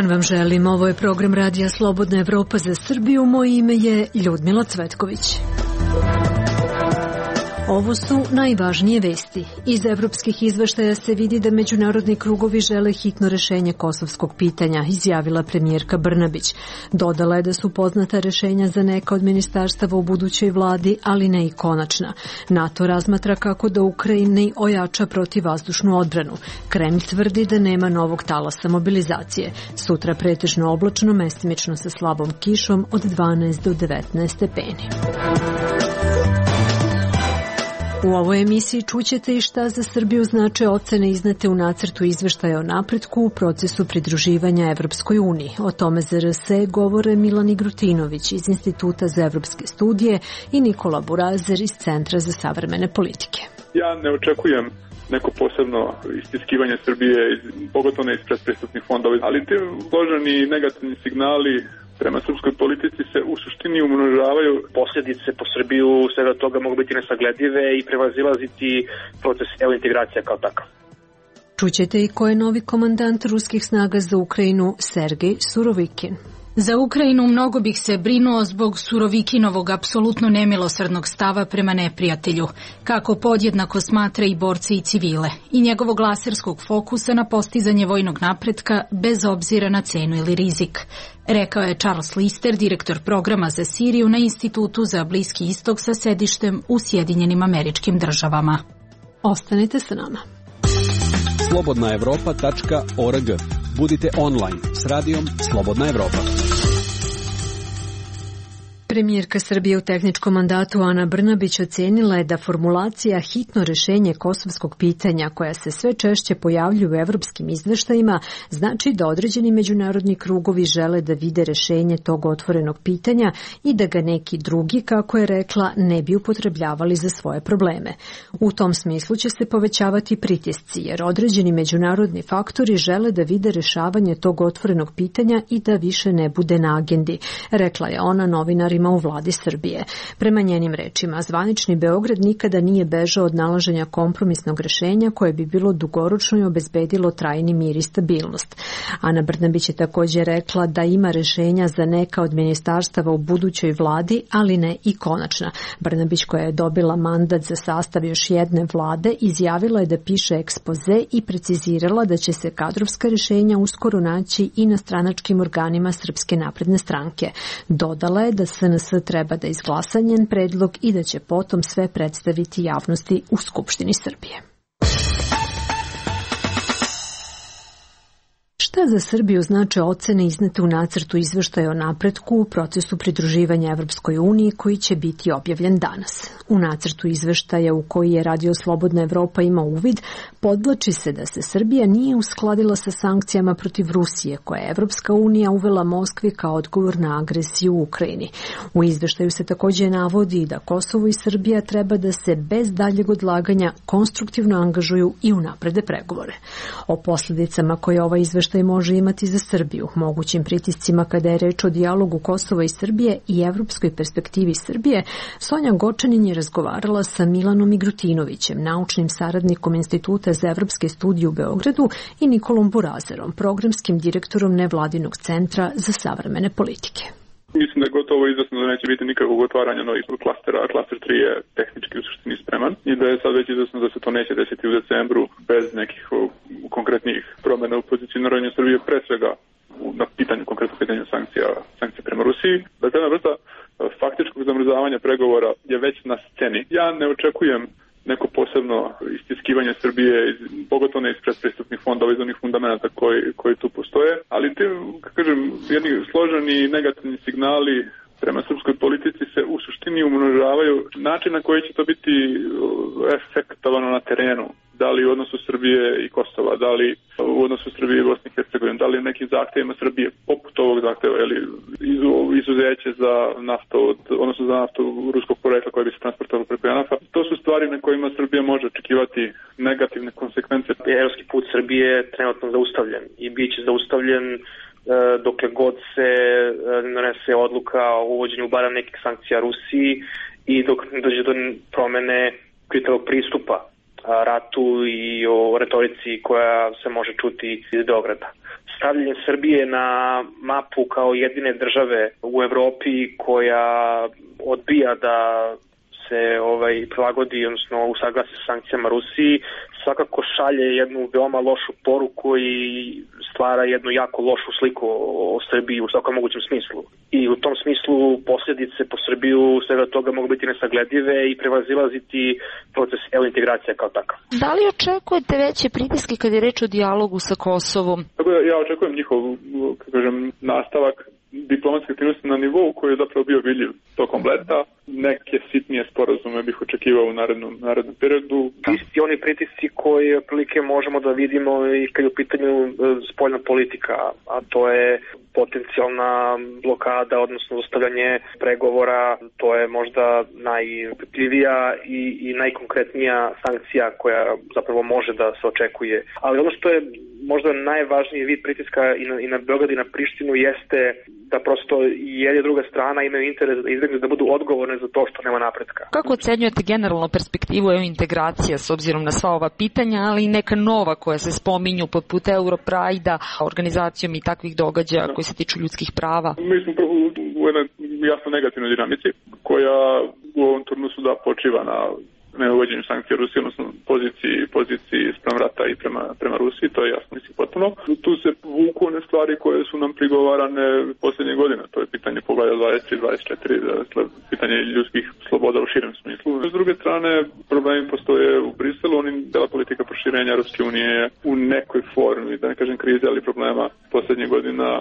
dan vam želim. Ovo je program Radija Slobodna Evropa za Srbiju. Moje ime je Ljudmila Cvetković. Ovo su najvažnije vesti. Iz evropskih izveštaja se vidi da međunarodni krugovi žele hitno rešenje kosovskog pitanja, izjavila premijerka Brnabić. Dodala je da su poznata rešenja za neka od ministarstava u budućoj vladi, ali ne i konačna. NATO razmatra kako da Ukrajini ojača protivvazdušnu odbranu. Kremlj tvrdi da nema novog talasa mobilizacije. Sutra pretežno oblačno, mestimično sa slabom kišom od 12 do 19 stepeni. U ovoj emisiji čućete i šta za Srbiju znače ocene iznete u nacrtu izveštaja o napretku u procesu pridruživanja Evropskoj uniji. O tome za RS govore Milan Igrutinović iz Instituta za evropske studije i Nikola Burazer iz Centra za savremene politike. Ja ne očekujem neko posebno istiskivanje Srbije, pogotovo ne iz predpristupnih fondova, ali te složeni negativni signali prema srpskoj politici se u suštini umnožavaju. Posljedice po Srbiju svega toga mogu biti nesagledive i prevazilaziti proces integracija kao takav. Čućete i ko je novi komandant ruskih snaga za Ukrajinu, Sergej Surovikin. Za Ukrajinu mnogo bih se brinuo zbog Surovikinovog apsolutno nemilosrdnog stava prema neprijatelju, kako podjednako smatra i borce i civile, i njegovog laserskog fokusa na postizanje vojnog napretka bez obzira na cenu ili rizik, rekao je Charles Lister, direktor programa za Siriju na Institutu za Bliski istok sa sedištem u Sjedinjenim Američkim Državama. Ostanite sa nama. slobodnaevropa.org. Budite online s radijom Slobodna Evropa. Premijerka Srbije u tehničkom mandatu Ana Brnabić ocenila je da formulacija hitno rešenje kosovskog pitanja, koja se sve češće pojavljuje u evropskim izveštajima, znači da određeni međunarodni krugovi žele da vide rešenje tog otvorenog pitanja i da ga neki drugi, kako je rekla, ne bi upotrebljavali za svoje probleme. U tom smislu će se povećavati pritisci, jer određeni međunarodni faktori žele da vide rešavanje tog otvorenog pitanja i da više ne bude na agendi, rekla je ona novinarima u vladi Srbije. Prema njenim rečima, zvanični Beograd nikada nije bežao od nalaženja kompromisnog rešenja koje bi bilo dugoročno i obezbedilo trajni mir i stabilnost. Ana Brnabić je također rekla da ima rešenja za neka od ministarstava u budućoj vladi, ali ne i konačna. Brnabić, koja je dobila mandat za sastav još jedne vlade, izjavila je da piše ekspoze i precizirala da će se kadrovska rešenja uskoro naći i na stranačkim organima Srpske napredne stranke. Dodala je da SNS treba da izglasa njen predlog i da će potom sve predstaviti javnosti u Skupštini Srbije. Šta za Srbiju znače ocene iznete u nacrtu izveštaja o napretku u procesu pridruživanja Evropskoj uniji koji će biti objavljen danas? U nacrtu izveštaja u koji je Radio Slobodna Evropa ima uvid, podvlači se da se Srbija nije uskladila sa sankcijama protiv Rusije koje je Evropska unija uvela Moskvi kao odgovor na agresiju u Ukrajini. U izveštaju se također navodi da Kosovo i Srbija treba da se bez daljeg odlaganja konstruktivno angažuju i unaprede pregovore. O posljedicama koje ovaj izveštaj može imati za Srbiju, mogućim pritiscima kada je reč o dijalogu Kosova i Srbije i evropskoj perspektivi Srbije, Sonja Gočanin je razgovarala sa Milanom Igrutinovićem, naučnim saradnikom Instituta za evropske studije u Beogradu, i Nikolom Burazerom, programskim direktorom nevladinog Centra za savremene politike. Mislim da je gotovo izvesno da neće biti nikakvog otvaranja novih klastera, a klaster 3 je tehnički u suštini spreman i da je sad već izvesno da se to neće desiti u decembru bez nekih konkretnih promjena u pozicioniranju Srbije, pre svega na konkretno pitanju sankcija prema Rusiji. Dakle, jedna vrsta faktičkog zamrzavanja pregovora je već na sceni. Ja ne očekujem neko posebno istiskivanje Srbije, pogotovo ne iz predpristupnih fondova, iz onih fundamenta koji tu postoje, ali te, kažem, jedni složeni negativni signali prema srpskoj politici se u suštini umnožavaju. Način na koji će to biti efektovano na terenu, da li u odnosu Srbije i Kosova, da li u odnosu Srbije i Bosne i Hercegovine, da li nekim zahtjevima Srbije, poput ovog zahtjeva, ili izuzeće za naftu, odnosno za naftu ruskog porekla koja bi se transportovala preko JANAF-a. To su stvari na kojima Srbija može očekivati negativne konsekvence. Evropski put Srbije je trenutno zaustavljen i bit će zaustavljen dokle god se donese odluka o uvođenju barem nekih sankcija Rusiji i dok dođe do promene kriterijskog pristupa ratu i o retorici koja se može čuti iz Beograda. stavljanje Srbije na mapu kao jedine države u Evropi koja odbija da se prilagodi, odnosno usaglasi sa sankcijama Rusiji, svakako šalje jednu veoma lošu poruku i stvara jednu jako lošu sliku o Srbiji u svakom mogućem smislu. I u tom smislu posljedice po Srbiju svega toga mogu biti nesagledive i prevazilaziti proces integracija kao takav. Da li očekujete veće pritiske kad je reč o dijalogu sa Kosovom? Ja očekujem njihov, nastavak diplomatske aktivnosti na nivou koji je zapravo bio vidljiv tokom leta. Neke sitnije sporazume bih očekivao u narednom periodu. Isti oni pritisci koje otprilike možemo da vidimo i kad je u pitanju spoljna politika, a to je potencijalna blokada, odnosno zostavljanje pregovora, to je možda najupitljivija i najkonkretnija sankcija koja zapravo može da se očekuje. Ali ono što je možda najvažniji vid pritiska i na Beograd i na Prištinu jeste da prosto jedna i druga strana imaju interes da budu odgovorne za to što nema napretka. Kako ocenjujete generalno perspektivu integracija s obzirom na sva ova pitanja, ali i neka nova koja se spominju poput Europride-a, organizacijom i takvih događaja koji se tiču ljudskih prava? Mi smo u jednoj jasno negativnoj dinamici koja u ovom turnusu počiva na neuvođenju sankcija Rusije, odnosno poziciji sprem rata i prema Rusiji, to je jasno, mislim, potpuno. Tu se vuku one stvari koje su nam prigovarane posljednje godine, to je pitanje poglavlja 23-24, dakle, pitanje ljudskih sloboda u širem smislu. S druge strane, problemi postoje u Briselu, dela politika proširenja Europske unije u nekoj formi, da ne kažem krize, ali problema posljednjih godina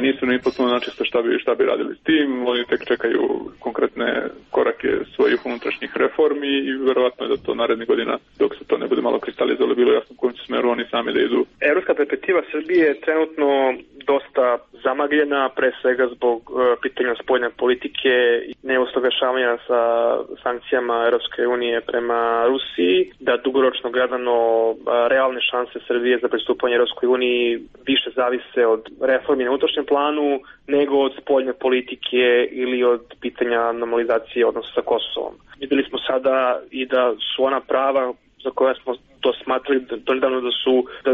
nisu ni potpuno načisto šta bi radili s tim, oni tek čekaju konkretne korake svojih unutrašnjih reformi i verovatno je da to narednih godina, dok se to ne bude malo kristalizovalo, bilo jasno u kojem će smeru oni sami da idu. Evropska perspektiva Srbije je trenutno dosta zamagljena, pre svega zbog pitanja spoljne politike i neusaglašavanja sa sankcijama Europske unije prema Rusiji, da dugoročno gledano realne šanse Srbije za pristupanje Europskoj uniji više zavise od reformi na unutrašnjem planu nego od spoljne politike ili od pitanja normalizacije odnosa sa Kosovom. Videli smo sada i da su ona prava za koja smo to smatrali nedavno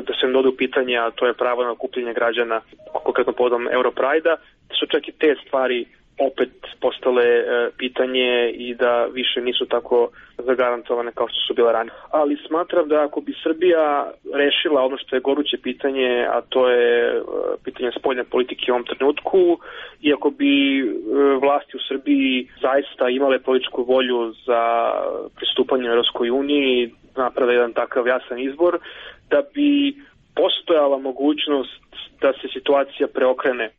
da se ne dode u pitanje, a to je pravo na okupljanje građana, konkretno povodom Europride-a, da su čak i te stvari opet postale pitanje i da više nisu tako zagarantovane kao što su bile ranije. Ali smatram da ako bi Srbija rešila ono što je goruće pitanje, a to je pitanje spoljne politike u ovom trenutku, i ako bi vlasti u Srbiji zaista imale političku volju za pristupanje Europskoj uniji, naprave jedan takav jasan izbor, da bi postojala mogućnost da se situacija preokrene.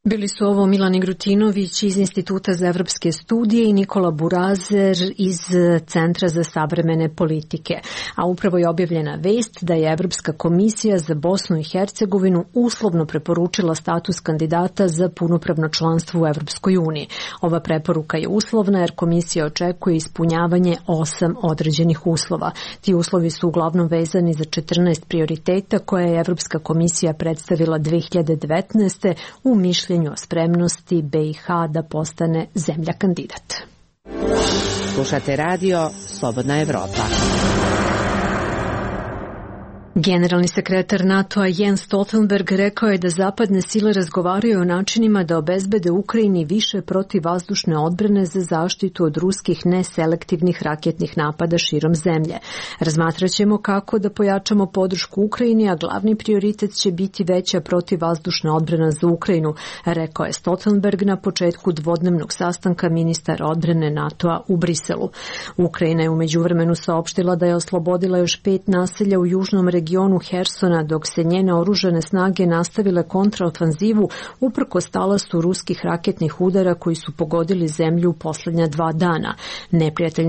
Bili su ovo Milan Igrutinović iz Instituta za evropske studije i Nikola Burazer iz Centra za savremene politike. A upravo je objavljena vest da je Evropska komisija za Bosnu i Hercegovinu uslovno preporučila status kandidata za punopravno članstvo u Evropskoj uniji. Ova preporuka je uslovna jer komisija očekuje ispunjavanje 8 određenih uslova. Ti uslovi su uglavnom vezani za 14 prioriteta koje je Evropska komisija predstavila 2019. u mišljenju o spremnosti BiH da postane zemlja kandidat. Slušate radio Slobodna Evropa. Generalni sekretar NATO-a Jens Stoltenberg rekao je da zapadne sile razgovaraju o načinima da obezbede Ukrajini više protivvazdušne odbrane za zaštitu od ruskih neselektivnih raketnih napada širom zemlje. Razmatraćemo kako da pojačamo podršku Ukrajini, a glavni prioritet će biti veća protivvazdušna odbrana za Ukrajinu, rekao je Stoltenberg na početku dvodnevnog sastanka ministara odbrane NATO-a u Briselu. Ukrajina je u međuvremenu saopštila da je oslobodila još 5 naselja u južnom regionu Hersona, dok se njene oružane snage nastavile kontraofanzivu uprkos talasu ruskih raketnih udara koji su pogodili zemlju u posljednja 2 dana. Neprijatelj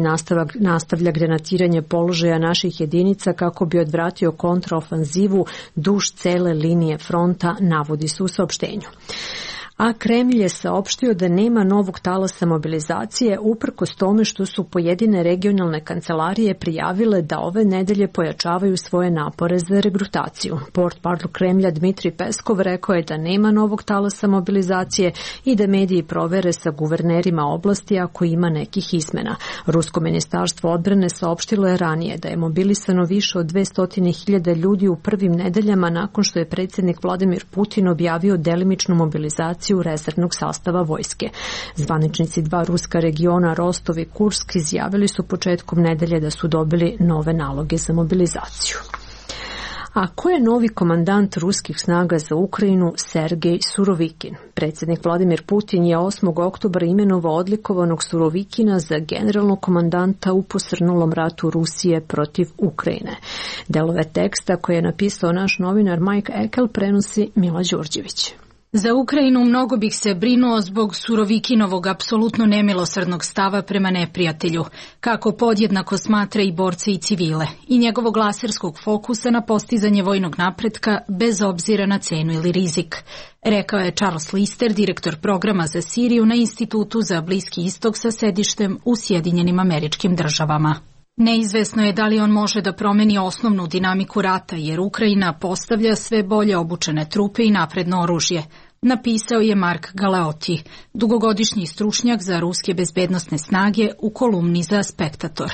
nastavlja granatiranje položaja naših jedinica kako bi odvratio kontraofanzivu duž cele linije fronta, navodi se u saopštenju. a Kremlj je saopštio da nema novog talasa mobilizacije uprkos tome što su pojedine regionalne kancelarije prijavile da ove nedelje pojačavaju svoje napore za regrutaciju. Portparol Kremlja Dmitrij Peskov rekao je da nema novog talasa mobilizacije i da mediji provere sa guvernerima oblasti ako ima nekih izmena. Rusko ministarstvo odbrane saopštilo je ranije da je mobilisano više od 200.000 ljudi u prvim nedeljama nakon što je predsjednik Vladimir Putin objavio delimičnu mobilizaciju rezervnog sastava vojske. Zvaničnici dva ruska regiona Rostov i Kursk izjavili su početkom nedelje da su dobili nove naloge za mobilizaciju. A ko je novi komandant ruskih snaga za Ukrajinu Sergej Surovikin? Predsjednik Vladimir Putin je 8. oktobra imenovao odlikovanog Surovikina za generalnog komandanta u posrnulom ratu Rusije protiv Ukrajine. Delove teksta koje je napisao naš novinar Mike Ekel prenosi Mila Đurđević. Za Ukrajinu mnogo bih se brinuo zbog Surovikinovog apsolutno nemilosrdnog stava prema neprijatelju, kako podjednako smatra i borce i civile, i njegovog laserskog fokusa na postizanje vojnog napretka bez obzira na cenu ili rizik, rekao je Charles Lister, direktor programa za Siriju na Institutu za Bliski istok sa sedištem u Sjedinjenim Američkim Državama. Neizvesno je da li on može da promeni osnovnu dinamiku rata, jer Ukrajina postavlja sve bolje obučene trupe i napredno oružje, napisao je Mark Galeotti, dugogodišnji stručnjak za ruske bezbednosne snage u kolumni za Spektator.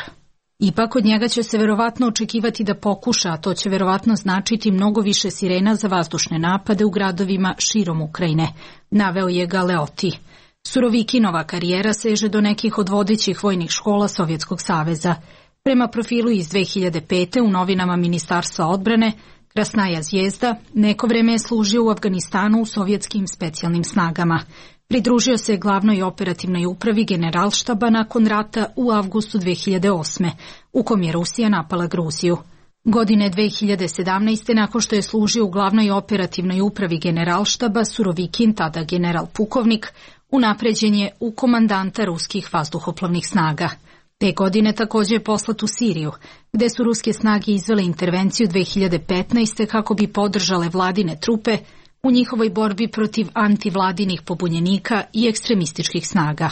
Ipak od njega će se verovatno očekivati da pokuša, a to će verovatno značiti mnogo više sirena za vazdušne napade u gradovima širom Ukrajine, naveo je Galeotti. Surovikinova karijera seže do nekih od vodećih vojnih škola Sovjetskog saveza. Prema profilu iz 2005. u novinama Ministarstva odbrane, Krasnaja zvijezda neko vreme je služio u Afganistanu u sovjetskim specijalnim snagama. Pridružio se glavnoj operativnoj upravi Generalštaba nakon rata u avgustu 2008. u kom je Rusija napala Gruziju. Godine 2017. nakon što je služio u glavnoj operativnoj upravi Generalštaba, Surovikin, tada general pukovnik, unapređen je u komandanta ruskih vazduhoplovnih snaga. Te godine također je poslat u Siriju, gde su ruske snage izvele intervenciju 2015. kako bi podržale vladine trupe u njihovoj borbi protiv antivladinih pobunjenika i ekstremističkih snaga.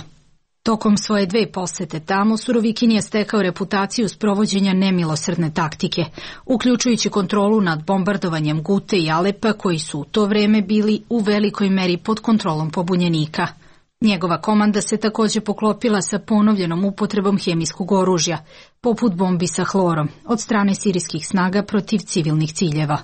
Tokom svoje 2 posete tamo, Surovikin je stekao reputaciju sprovođenja nemilosrdne taktike, uključujući kontrolu nad bombardovanjem Gute i Alepa, koji su u to vreme bili u velikoj meri pod kontrolom pobunjenika. Njegova komanda se također poklopila sa ponovljenom upotrebom hemijskog oružja, poput bombi sa hlorom, od strane sirijskih snaga protiv civilnih ciljeva.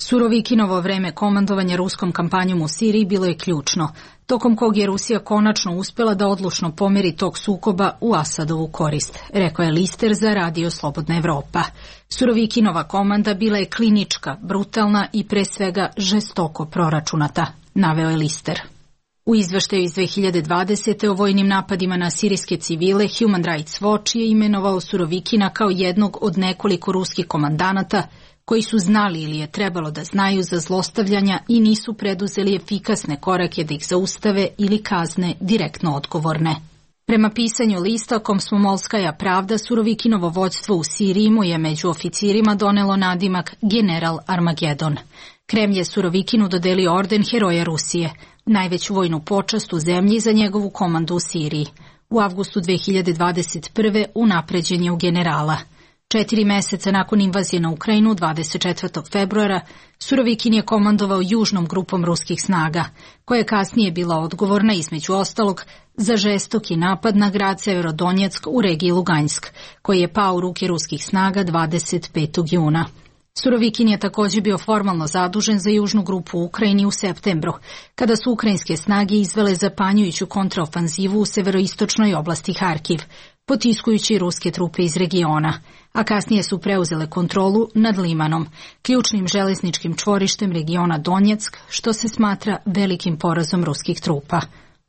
Surovikinovo vreme komandovanja ruskom kampanjom u Siriji bilo je ključno, tokom kog je Rusija konačno uspjela da odlučno pomeri tog sukoba u Asadovu korist, rekao je Lister za Radio Slobodna Evropa. Surovikinova komanda bila je klinička, brutalna i pre svega žestoko proračunata, naveo je Lister. U izveštaju iz 2020. o vojnim napadima na sirijske civile, Human Rights Watch je imenovao Surovikina kao jednog od nekoliko ruskih komandanata koji su znali ili je trebalo da znaju za zlostavljanja i nisu preduzeli efikasne korake da ih zaustave ili kazne direktno odgovorne. Prema pisanju lista Komsomolskaja pravda, Surovikinovo vođstvo u Siriji mu je među oficirima donelo nadimak General Armagedon. Kremlj je Surovikinu dodelio orden Heroja Rusije, najveću vojnu počast u zemlji za njegovu komandu u Siriji. U avgustu 2021. unapređen je u generala. 4 meseca nakon invazije na Ukrajinu, 24. februara, Surovikin je komandovao južnom grupom ruskih snaga, koja je kasnije bila odgovorna, između ostalog, za žestoki napad na grad Severodonjeck u regiji Lugansk, koji je pao u ruke ruskih snaga 25. juna. Surovikin je također bio formalno zadužen za južnu grupu u Ukrajini u septembru, kada su ukrajinske snage izvele zapanjujuću kontraofanzivu u severoistočnoj oblasti Harkiv, potiskujući ruske trupe iz regiona, a kasnije su preuzele kontrolu nad Limanom, ključnim železničkim čvorištem regiona Donjeck, što se smatra velikim porazom ruskih trupa.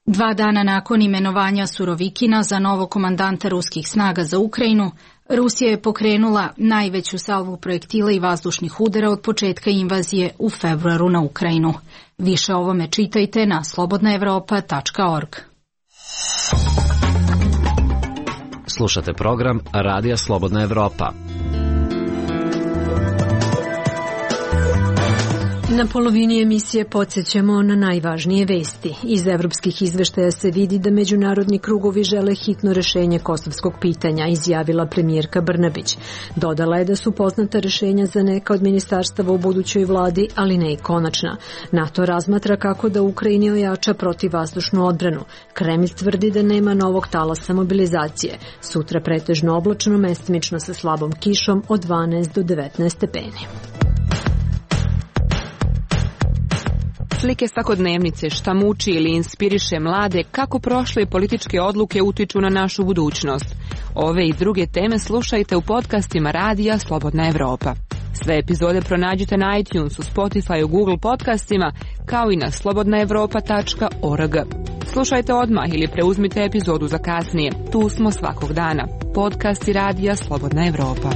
2 dana nakon imenovanja Surovikina za novog komandanta ruskih snaga za Ukrajinu, Rusija je pokrenula najveću salvu projektila i vazdušnih udara od početka invazije u februaru na Ukrajinu. Više o ovome čitajte na slobodnaevropa.org. Slušate program Radija Slobodna Evropa. Na polovini emisije podsjećamo na najvažnije vesti. Iz evropskih izveštaja se vidi da međunarodni krugovi žele hitno rešenje kosovskog pitanja, izjavila premijerka Brnabić. Dodala je da su poznata rešenja za neka od ministarstava u budućoj vladi, ali ne i konačna. NATO razmatra kako da Ukrajini ojača protivvazdušnu odbranu. Kremlj tvrdi da nema novog talasa mobilizacije. Sutra pretežno oblačno, mestimično sa slabom kišom od 12 do 19 stepeni. Slike svakodnevnice, šta muči ili inspiriše mlade, kako prošle političke odluke utiču na našu budućnost. Ove i druge teme slušajte u podcastima Radija Slobodna Evropa. Sve epizode pronađite na iTunesu, Spotify, Google podcastima, kao i na slobodnaevropa.org. Slušajte odmah ili preuzmite epizodu za kasnije. Tu smo svakog dana. Podcasti Radija Slobodna Evropa.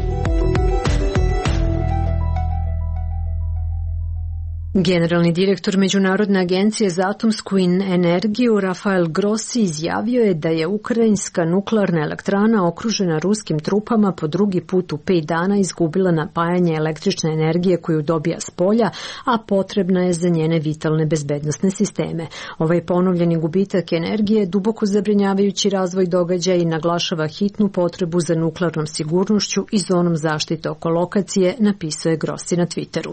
Generalni direktor Međunarodne agencije za atomsku energiju Rafael Grossi izjavio je da je ukrajinska nuklearna elektrana okružena ruskim trupama po drugi put u 5 dana izgubila napajanje električne energije koju dobija s polja, a potrebna je za njene vitalne bezbednosne sisteme. Ovaj ponovljeni gubitak energije je duboko zabrinjavajući razvoj događaja i naglašava hitnu potrebu za nuklearnom sigurnošću i zonom zaštite oko lokacije, napisao je Grossi na Twitteru.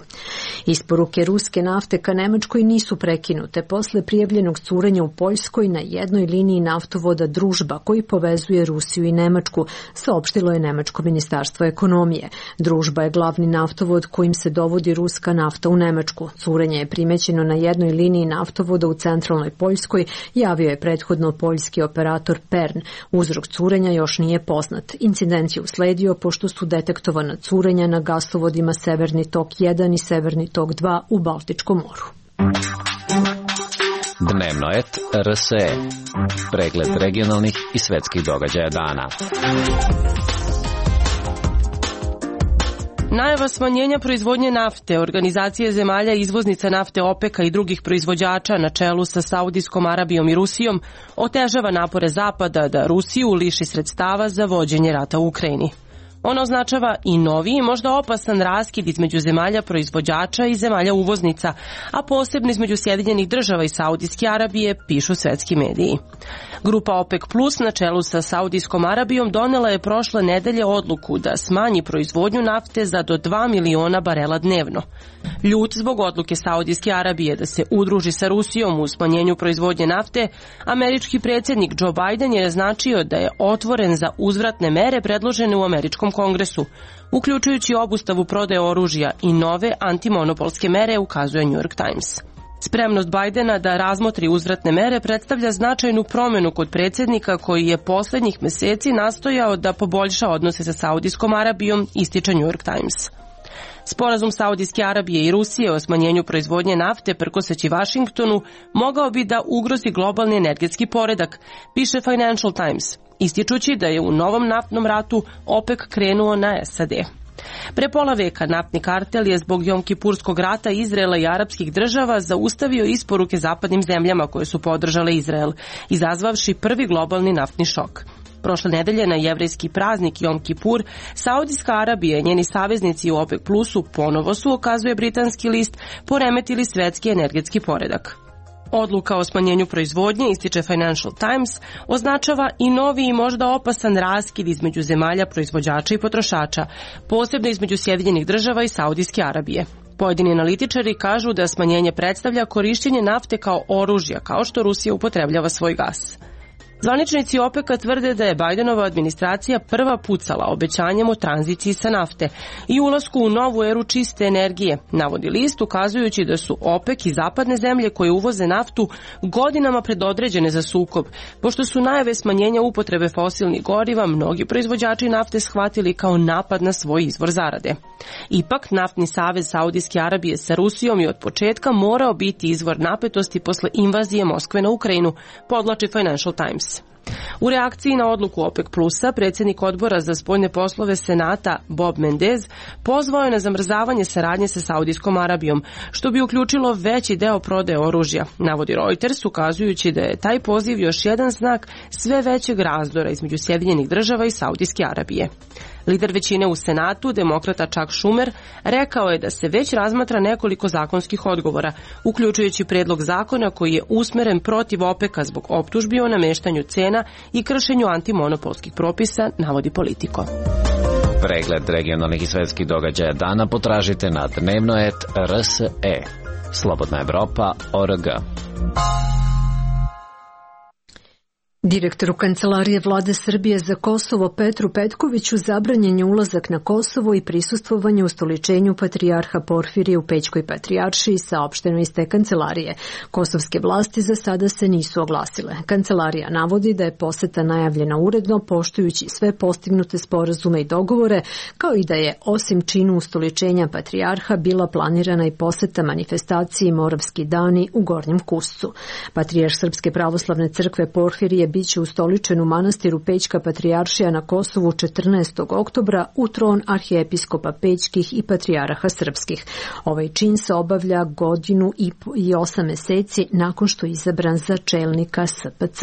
Isporuke ruske nafte ka Nemačkoj nisu prekinute posle prijavljenog curenja u Poljskoj na jednoj liniji naftovoda Družba koji povezuje Rusiju i Nemačku, saopštilo je Nemačko ministarstvo ekonomije. Družba je glavni naftovod kojim se dovodi ruska nafta u Nemačku. Curenje je primećeno na jednoj liniji naftovoda u centralnoj Poljskoj, javio je prethodno poljski operator Pern. Uzrok curenja još nije poznat. Incident je usledio pošto su detektovana curenja na gasovodima Severni tok 1 i Severni tok 2 u Baltičkom moru. Dnevnoet RSE. Pregled regionalnih i svetskih događaja dana. Najava smanjenja proizvodnje nafte, organizacije zemalja izvoznica nafte OPEC-a i drugih proizvođača na čelu sa Saudijskom Arabijom i Rusijom otežava napore Zapada da Rusiju liši sredstava za vođenje rata u Ukrajini. Ono označava i novi i možda opasan raskid između zemalja proizvođača i zemalja uvoznica, a posebno između Sjedinjenih Država i Saudijske Arabije, pišu svetski mediji. Grupa OPEC Plus na čelu sa Saudijskom Arabijom donela je prošle nedelje odluku da smanji proizvodnju nafte za do 2 miliona barela dnevno. Ljut zbog odluke Saudijske Arabije da se udruži sa Rusijom u smanjenju proizvodnje nafte, američki predsjednik Joe Biden je naznačio da je otvoren za uzvratne mere predložene u američkom kongresu, uključujući obustavu prodaje oružja i nove antimonopolske mere, ukazuje New York Times. Spremnost Bidena da razmotri uzvratne mere predstavlja značajnu promjenu kod predsjednika koji je poslednjih meseci nastojao da poboljša odnose sa Saudijskom Arabijom, ističe New York Times. Sporazum Saudijske Arabije i Rusije o smanjenju proizvodnje nafte prkoseći Vašingtonu mogao bi da ugrozi globalni energetski poredak, piše Financial Times, ističući da je u novom naftnom ratu OPEC krenuo na SAD. Pre pola veka naftni kartel je zbog Jomkipurskog rata Izraela i arapskih država zaustavio isporuke zapadnim zemljama koje su podržale Izrael, izazvavši prvi globalni naftni šok. Prošle nedelje na jevrejski praznik Jom Kipur, Saudijska Arabija i njeni saveznici u OPEC Plusu ponovo su, ukazuje britanski list, poremetili svetski energetski poredak. Odluka o smanjenju proizvodnje, ističe Financial Times, označava i novi i možda opasan raskid između zemalja proizvođača i potrošača, posebno između Sjedinjenih Država i Saudijske Arabije. Pojedini analitičari kažu da smanjenje predstavlja korišćenje nafte kao oružja, kao što Rusija upotrebljava svoj gas. Zvaničnici OPEC-a tvrde da je Bidenova administracija prva pucala obećanjem o tranziciji sa nafte i ulasku u novu eru čiste energije, navodi list, ukazujući da su OPEC i zapadne zemlje koje uvoze naftu godinama predodređene za sukob, pošto su najave smanjenja upotrebe fosilnih goriva mnogi proizvođači nafte shvatili kao napad na svoj izvor zarade. Ipak, naftni savez Saudijske Arabije sa Rusijom je od početka morao biti izvor napetosti posle invazije Moskve na Ukrajinu, podvlači Financial Times. U reakciji na odluku OPEC Plusa, predsjednik odbora za spoljne poslove Senata Bob Mendez pozvao je na zamrzavanje saradnje sa Saudijskom Arabijom, što bi uključilo veći deo prodaje oružja, navodi Reuters, ukazujući da je taj poziv još jedan znak sve većeg razdora između Sjedinjenih Država i Saudijske Arabije. Lider većine u Senatu, demokrata Chuck Schumer, rekao je da se već razmatra nekoliko zakonskih odgovora, uključujući predlog zakona koji je usmeren protiv OPEC-a zbog optužbi o nameštanju cena i kršenju antimonopolskih propisa, navodi Politico. Pregled regionalnih i svetskih događaja dana potražite na dnevnoet.rse. Slobodna Evropa.org. Direktoru Kancelarije Vlade Srbije za Kosovo Petru Petkoviću zabranjen je ulazak na Kosovo i prisustvovanje ustoličenju patrijarha Porfirija u Pećkoj patrijaršiji, saopšteno iz te kancelarije. Kosovske vlasti za sada se nisu oglasile. Kancelarija navodi da je poseta najavljena uredno, poštujući sve postignute sporazume i dogovore, kao i da je osim činu ustoličenja patrijarha bila planirana i poseta manifestaciji Moravski dani u Gornjem Kuscu. Patrijarh Srpske pravoslavne crkve Porfirije biće ustoličen u manastiru Pećka patrijaršija na Kosovu 14. oktobra u tron arhijepiskopa Pećkih i patrijaraha srpskih. Ovaj čin se obavlja 1 godinu i 8 meseci nakon što je izabran za čelnika SPC.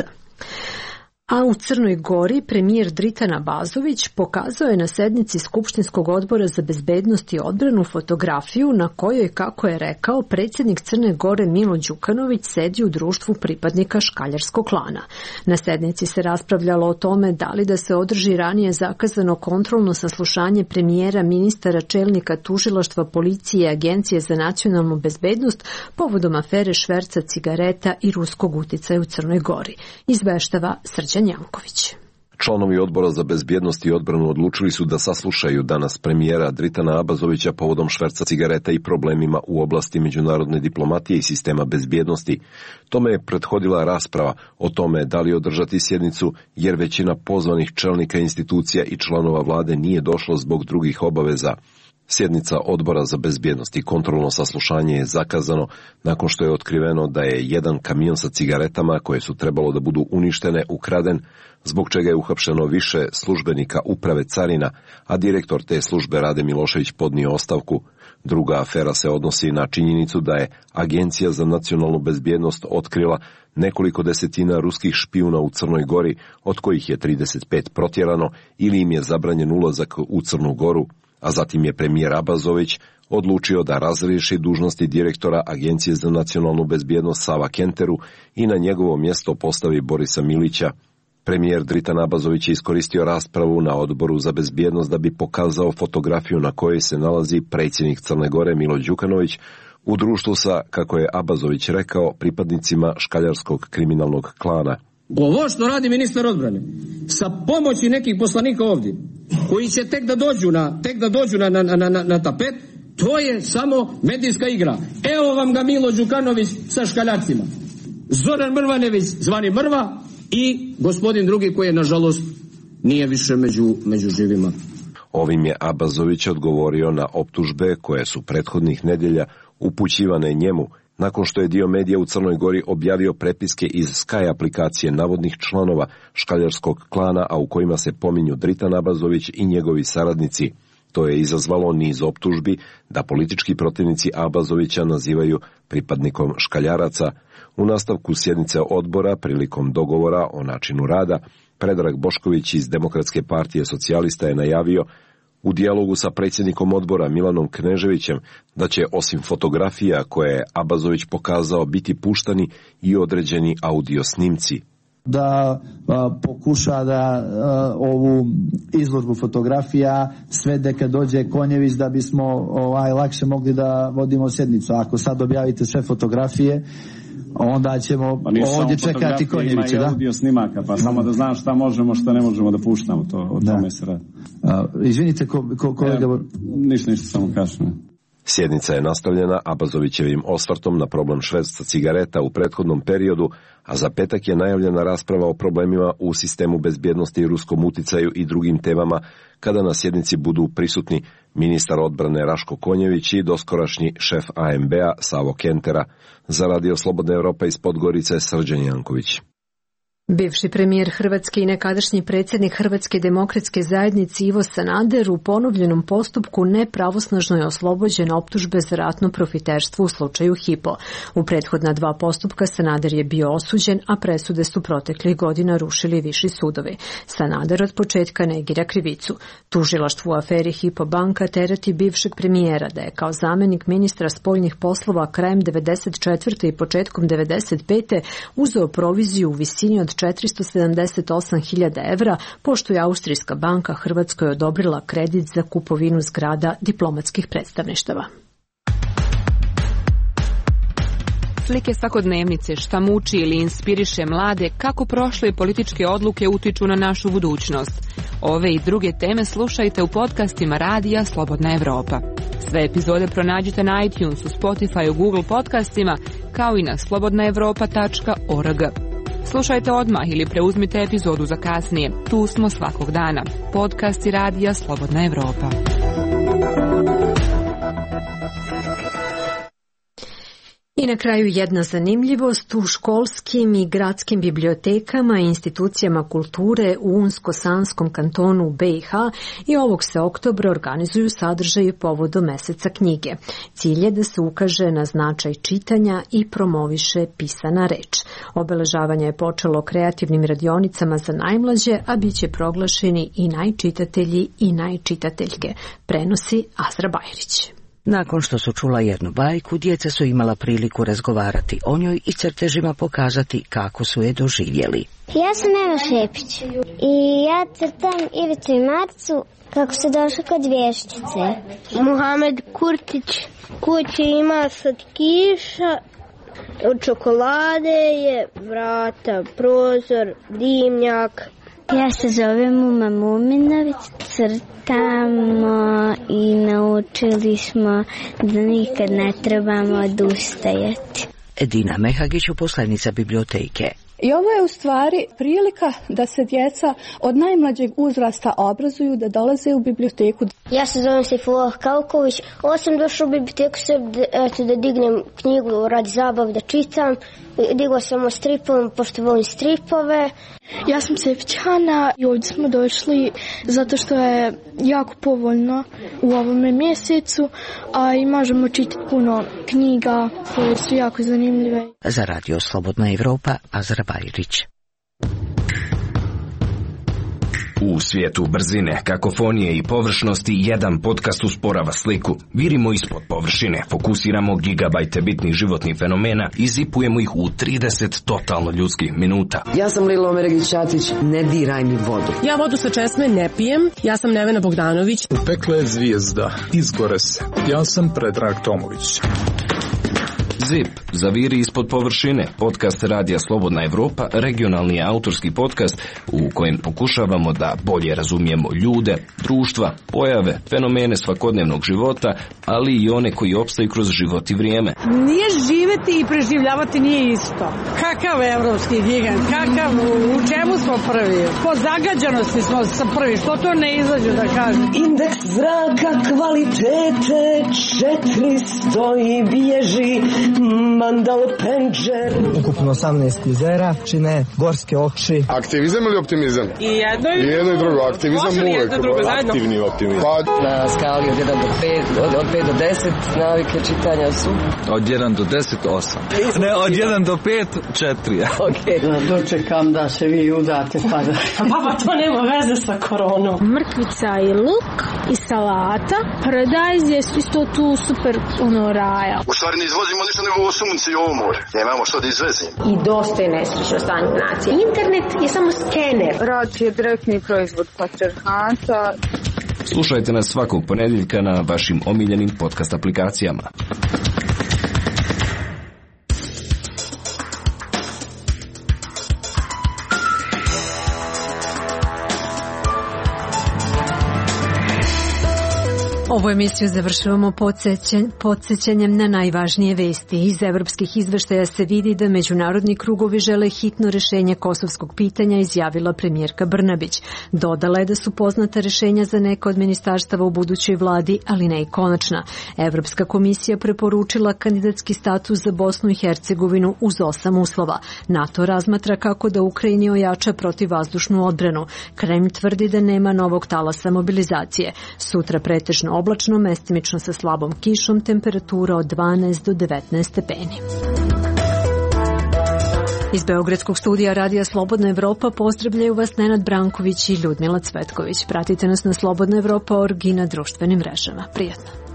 A u Crnoj Gori premijer Dritan Abazović pokazao je na sednici Skupštinskog odbora za bezbednost i odbranu fotografiju na kojoj, kako je rekao, predsjednik Crne Gore Milo Đukanović sedi u društvu pripadnika škaljarskog klana. Na sednici se raspravljalo o tome da li da se održi ranije zakazano kontrolno saslušanje premijera, ministara, čelnika tužilaštva, policije i Agencije za nacionalnu bezbednost povodom afere šverca cigareta i ruskog uticaja u Crnoj Gori. Izveštava Srđan Janković. Članovi odbora za bezbjednost i odbranu odlučili su da saslušaju danas premijera Dritana Abazovića povodom šverca cigareta i problemima u oblasti međunarodne diplomatije i sistema bezbjednosti. Tome je prethodila rasprava o tome da li održati sjednicu, jer većina pozvanih čelnika institucija i članova vlade nije došlo zbog drugih obaveza. Sjednica odbora za bezbjednost i kontrolno saslušanje je zakazano nakon što je otkriveno da je jedan kamion sa cigaretama koje su trebalo da budu uništene ukraden, zbog čega je uhapšeno više službenika uprave carina, a direktor te službe Rade Milošević podnio ostavku. Druga afera se odnosi na činjenicu da je Agencija za nacionalnu bezbjednost otkrila nekoliko desetina ruskih špijuna u Crnoj Gori, od kojih je 35 protjerano ili im je zabranjen ulazak u Crnu Goru, a zatim je premijer Abazović odlučio da razriješi dužnosti direktora Agencije za nacionalnu bezbjednost Sava Kenteru i na njegovo mjesto postavi Borisa Milića. Premijer Dritan Abazović je iskoristio raspravu na odboru za bezbjednost da bi pokazao fotografiju na kojoj se nalazi predsjednik Crne Gore Milo Đukanović u društvu sa, kako je Abazović rekao, pripadnicima škaljarskog kriminalnog klana. Ovo što radi ministar odbrane sa pomoći nekih poslanika ovdje koji će tek da dođu na tapet, to je samo medijska igra. Evo vam ga Milo Đukanović sa škaljarcima, Zoran Mrvanević zvani Mrva i gospodin drugi koji je nažalost nije više među živima. Ovim je Abazović odgovorio na optužbe koje su prethodnih nedjelja upućivane njemu, nakon što je dio medija u Crnoj Gori objavio prepiske iz Sky aplikacije navodnih članova škaljarskog klana, a u kojima se pominju Dritan Abazović i njegovi saradnici. To je izazvalo niz optužbi da politički protivnici Abazovića nazivaju pripadnikom škaljaraca. U nastavku sjednice odbora, prilikom dogovora o načinu rada, Predrag Bošković iz Demokratske partije socijalista je najavio u dijalogu sa predsjednikom odbora Milanom Kneževićem da će osim fotografija koje je Abazović pokazao biti puštani i određeni audio snimci. Da pokuša da ovu izložbu fotografija svede kad dođe Konjević da bismo lakše mogli da vodimo sjednicu. Ako sad objavite sve fotografije, onda ćemo ovdje čekati Konjevića. Ima i audio snimaka, pa samo da znam šta možemo, šta ne možemo da puštamo, o tome se radi. Izvinite, kolega... Ništa, samo kažem. Sjednica je nastavljena Abazovićevim osvrtom na problem šverca cigareta u prethodnom periodu, a za petak je najavljena rasprava o problemima u sistemu bezbjednosti i ruskom uticaju i drugim temama, kada na sjednici budu prisutni ministar odbrane Raško Konjević i doskorašnji šef AMB-a Savo Kentera. Za Radio Slobodna Evropa iz Podgorice, Srđan Janković. Bivši premijer Hrvatske i nekadašnji predsjednik Hrvatske demokratske zajednice Ivo Sanader u ponovljenom postupku nepravosnažno je oslobođen optužbe za ratno profiterstvo u slučaju Hypo. U prethodna 2 postupka Sanader je bio osuđen, a presude su proteklih godina rušili viši sudovi. Sanader od početka negira krivicu. Tužilaštvo u aferi Hypo banka tereti bivšeg premijera da je kao zamjenik ministra spoljnih poslova krajem 1994. i početkom 1995. uzeo proviziju u visini od 478.000 evra, pošto je Austrijska banka Hrvatskoj odobrila kredit za kupovinu zgrada diplomatskih predstavništava. Slike svakodnevnice, šta muči ili inspiriše mlade, kako prošle političke odluke utiču na našu budućnost. Ove i druge teme slušajte u podcastima Radija Slobodna Evropa. Sve epizode pronađite na iTunesu, Spotify, Google podcastima, kao i na slobodnaevropa.org. Slušajte odmah ili preuzmite epizodu za kasnije. Tu smo svakog dana. Podcasti Radija Slobodna Evropa. I na kraju jedna zanimljivost. U školskim i gradskim bibliotekama i institucijama kulture u Unsko-Sanskom kantonu BiH i ovog se oktobra organizuju sadržaji povodom meseca knjige. Cilj je da se ukaže na značaj čitanja i promoviše pisana reč. Obeležavanje je počelo kreativnim radionicama za najmlađe, a bit će proglašeni i najčitatelji i najčitateljke. Prenosi Azra Bajrić. Nakon što su čula jednu bajku, djeca su imala priliku razgovarati o njoj i crtežima pokazati kako su je doživjeli. Ja sam Eva Šepić i ja crtam Ivicu i Marcu kako se došlo kod vješčice. Muhamed Kurtić kući ima slatkiša, od čokolade je vrata, prozor, dimnjak. Ja se zovem Uma Muminović, crtamo i naučili smo da nikad ne trebamo odustajati. Edina Mehagić, uposlenica biblioteke. I ovo je u stvari prilika da se djeca od najmlađeg uzrasta obrazuju, da dolaze u biblioteku. Ja se zovem Sejfullah Kauković. Ovo sam došao u biblioteku da dignem knjigu radi zabave, da čitam. Digla sam o stripovima, pošto volim stripove. Ja sam Sefićana i ovdje smo došli zato što je jako povoljno u ovome mjesecu, a i možemo čitati puno knjiga koje su jako zanimljive. Za Radio Slobodna Evropa, Azra Bajrić. U svijetu brzine, kakofonije i površnosti jedan podcast usporava sliku. Virimo ispod površine, fokusiramo gigabajte bitnih životnih fenomena i zipujemo ih u 30 totalno ljudskih minuta. Ja sam Lilo Meregić-Ćatić, ne diraj mi vodu. Ja vodu sa česme ne pijem, ja sam Nevena Bogdanović. U peklu je zvijezda, izgore se. Ja sam Predrag Tomović. ZIP, zaviri ispod površine, podcast Radija Slobodna Evropa, regionalni autorski podcast u kojem pokušavamo da bolje razumijemo ljude, društva, pojave, fenomene svakodnevnog života, ali i one koji opstaju kroz život i vrijeme. Nije živjeti i preživljavati nije isto. Kakav evropski gigant, kakav, u čemu smo prvi? Po zagađenosti smo prvi, što to ne izađe da kažem? Indeks zraka kvalitete 400 i bježi Mandal Penđer. Ukupno 18 jezera čine gorske oči. Aktivizam ili optimizam? I jedno i drugo. Aktivizam uvek. Aktivni optimizam. Na skali od 1 do 5, od 5 do 10 navike čitanja su? Od 1 do 10, 8. Ne, od 1 do 5, 4. Ok. Dočekam da se vi udate pa da... Baba, to nema veze sa koronom. Mrkvica i luk i salata. Paradajz je isto tu super raja. U stvari ne izvozimo ništa nego ovo sunce i ovo more. Nemamo što da izvezimo. I dosta je nesrećno stanje nacije. Internet je samo skener. Rat je direktni proizvod patrijarhata. Slušajte nas svakog ponedjeljka na vašim omiljenim podcast aplikacijama. Ovu emisiju završavamo podsjećanjem na najvažnije vesti. Iz evropskih izveštaja se vidi da međunarodni krugovi žele hitno rešenje kosovskog pitanja, izjavila premijerka Brnabić. Dodala je da su poznata rešenja za neka od ministarstava u budućoj vladi, ali ne i konačna. Evropska komisija preporučila kandidatski status za Bosnu i Hercegovinu uz 8 uslova. NATO razmatra kako da Ukrajini ojača protivvazdušnu odbranu. Kremlj tvrdi da nema novog talasa mobilizacije. Sutra pretežno oblačno, mestimično sa slabom kišom, temperatura od 12 do 19 stepeni. Iz Beogradskog studija Radija Slobodna Evropa pozdravljaju vas Nenad Branković i Ljudmila Cvetković. Pratite nas na Slobodna Evropa.org i na društvenim mrežama. Prijatno.